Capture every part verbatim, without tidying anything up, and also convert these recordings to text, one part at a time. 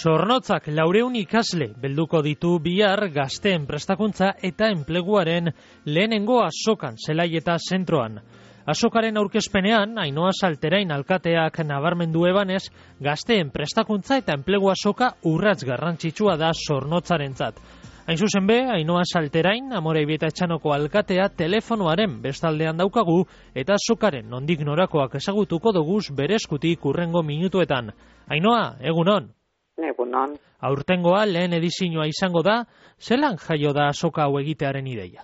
Zornotzak laureun ikasle belduko ditu bihar gazteen prestakuntza eta enpleguaren lehenengo azokan zelai eta zentroan. Azokaren aurkezpenean, Ainhoa Salterain alkateak nabarmendu ebanez, gazteen prestakuntza eta enplegu azoka urrats garrantzitsua da Zornotzarentzat. Hain zuzen be, Ainhoa Salterain, Amoreibi eta Etxanoko alkatea telefonoaren bestaldean daukagu eta azokaren nondik norakoak ezagutuko doguz bere eskutik hurrengo minutuetan. Ainhoa, egunon. Egunon. Aurtengoa lehen edizioa izango da, zelan jaio da azoka hau egitearen ideia?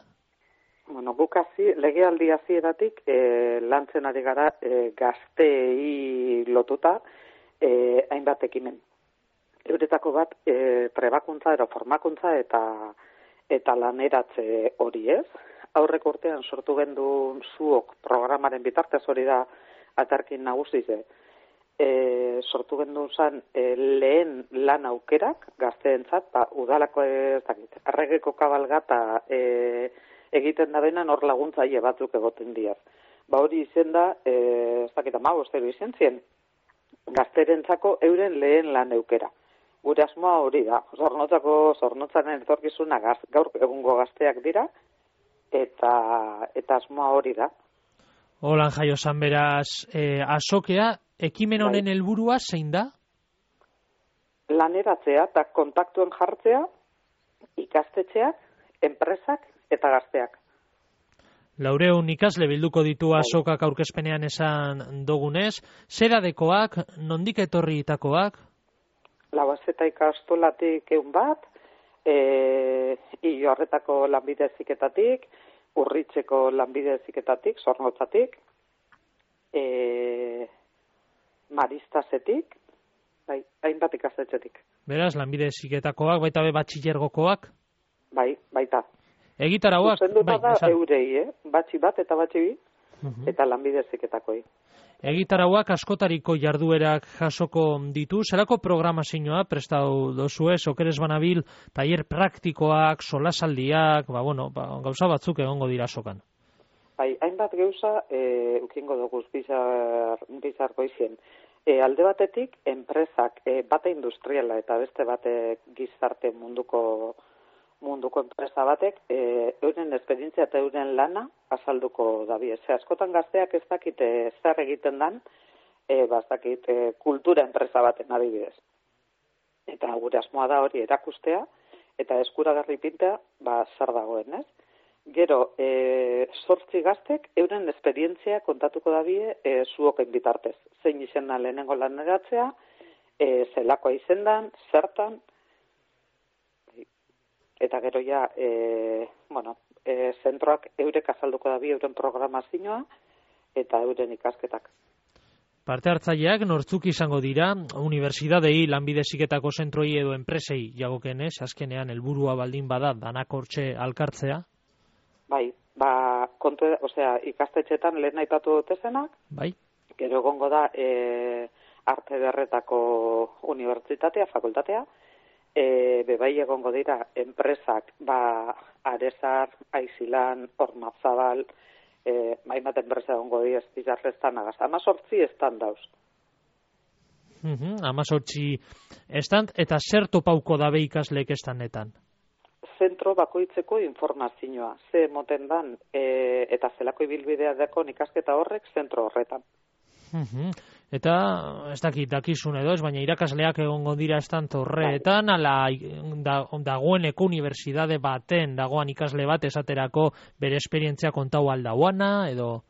Bueno, guk hazi, legealdi hasieratik e, lantzen ari gara e, gazteei lotuta e, hainbat ekimen. Euretako bat e, trebakuntza ero formakuntza eta eta laneratze hori ez. Aurrek urtean sortu gendu zuok programaren bitartez hori da atarkin nagusize. E, sortu gendu zan e, lehen lan aukerak gazteentzat, ba, udalako ez dakit, erregeko kabalgata e, egiten da benan hor laguntzaile batzuk egoten diaz. Ba hori izen da, e, ez dakit ama, bostero izen zien, gazterentzako euren lehen lan aukera. Gure asmoa hori da, Zornotzako, Zornotzaren etorkizuna gaz, gaur egungo gazteak dira, eta, eta asmoa hori da. Holan jaio zan beraz, e, azokea, ekimen honen helburua zein da? Laneratzea eta kontaktuen jartzea, ikastetxeak, enpresak eta gazteak. Laureun ikasle bilduko ditu azokak aurkezpenean esan dogunez, zeradekoak, nondik etorriitakoak? Lauazeta ikastolatik egun bat, e, Iorretako lanbide heziketatik, Urritzeko lanbide heziketatik, Zornotzatik, e, Maristasetik, bai, hainbat ikastetxetik. Beraz, lanbide heziketakoak, baita be batxillergokoak? Bai, baita. Egitarauak, bai, da esan. Eurei, eh? Batxi bat eta batxi bi, uh-huh. eta lanbide heziketakoi. Egitarauak askotariko jarduerak jasoko ditu, zerako programazioa prestatu dozue, okeres banabil, tailer praktikoak, solasaldiak, ba, bueno, ba, gauza batzuk egongo dira azokan. Bai, hainbat gauza, e, ukingo dugu bizar, bizarko izien. E, alde batetik, enpresak, e, bate industriala eta beste bate gizarte munduko munduko enpresa batek, e, euren esperientzia eta euren lana azalduko dabi. Ze askotan gazteak ez dakite zer egiten dan, e, bazakit e, kultura enpresa baten adibidez. Eta gure asmoa da hori erakustea, eta eskuragarri pintea, ba, zer dagoen, ez? Gero, e, sortzi gaztek, euren esperientzia kontatuko dabie e, zuoken bitartez. Zein izena lehenengo laneratzea, e, zelakoa izendan, zertan, eta gero ja, e, bueno, e, zentroak eurek azalduko dabi euren programazioa eta euren ikasketak. Parte hartzaileak nortzuk izango dira, unibertsitatei, lanbide heziketako zentroi edo enpresei jagokenez, azkenean helburua baldin bada danak hortxe alkartzea? Bai, ba, kontu, osea, ikastetxetan lehen aipatu dutezenak, bai. Gero egongo da e, arte derretako unibertsitatea, fakultatea, e, bebai egongo dira enpresak, ba, Arezar, Aizilan, Ormazabal, e, maimat enpresa egongo dira espizarreztan agaz. Amazortzi estan dauz. Uh-huh, Amazortzi estan, eta zer topauko dabe ikasleek estanetan? Zentro bakoitzeko informazioa, ze moten dan, e, eta zelako ibilbidea dako ikasketa horrek zentro horretan. Uh-huh. Eta, ez dakit, dakizun edo ez, baina irakasleak egongo dira estant horretan, ala da, dagoeneko unibertsitate baten, dagoan ikasle bat esaterako bere esperientzia kontau aldauana, edo...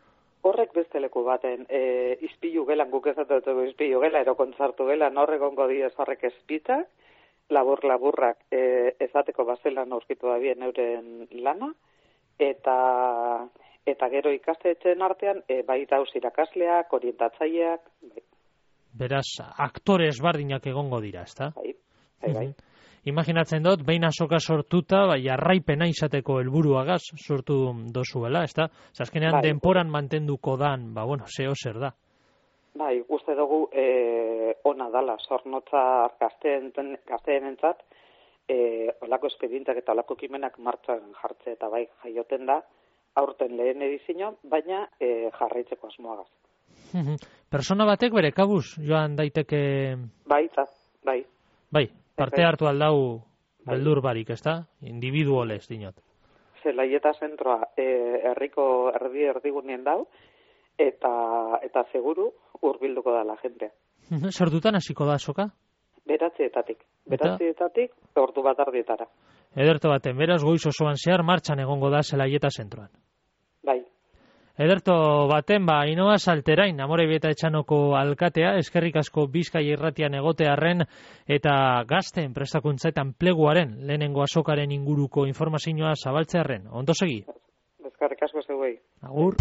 Horrek beste leku baten, e, izpilu gelan, guk ezatutuko izpilu gela, ero kontzartu gelan, horrek egongo dira horrek espitzak, labur-laburrak e, ezateko bazelan aurkitu da bien euren lana, eta... Eta gero ikastetxeen artean, e, bai dauz irakasleak, orientatzaileak. Bai. Beraz, aktore ezbardinak egongo dira, ezta? Bai, bai, bai. Imaginatzen dut, behin azoka sortuta, bai, jarraipena izateko helburuagaz sortu dozuela, ezta? Azkenean bai, denporan mantenduko dan, ba, bueno, zeo zer da. Bai, uste dugu e, ona dala, Zornotza gazteen entzat, e, olako espedientak eta olako kimenak martxan jartze eta bai jaioten da, aurten lehen edizio, baina e, jarraitzeko asmoagaz. Persona batek bere kabuz joan daiteke... Baita, bai. Bai, parte hartu aldau beldur barik, ez da? Individualez, dinot. Zelaieta zentroa e, herriko erdi erdigunien dau, eta eta seguru hurbilduko da la gente. Sortutan hasiko da azoka? Beratzietatik. Beratzietatik ordu bat ardietara. Ederto baten, beraz goiz osoan zehar martxan egongo da Zelaieta zentroan. Bai. Ederto baten, ba, Ainhoa Salterain, Amorebieta Etxanoko alkatea, eskerrik asko Bizkaia irratian egotearren eta gazten prestakuntza eta enpleguaren lehenengo azokaren inguruko informazioa zabaltzearren. Ondo segi? Eskerrik asko zeuei. Agur.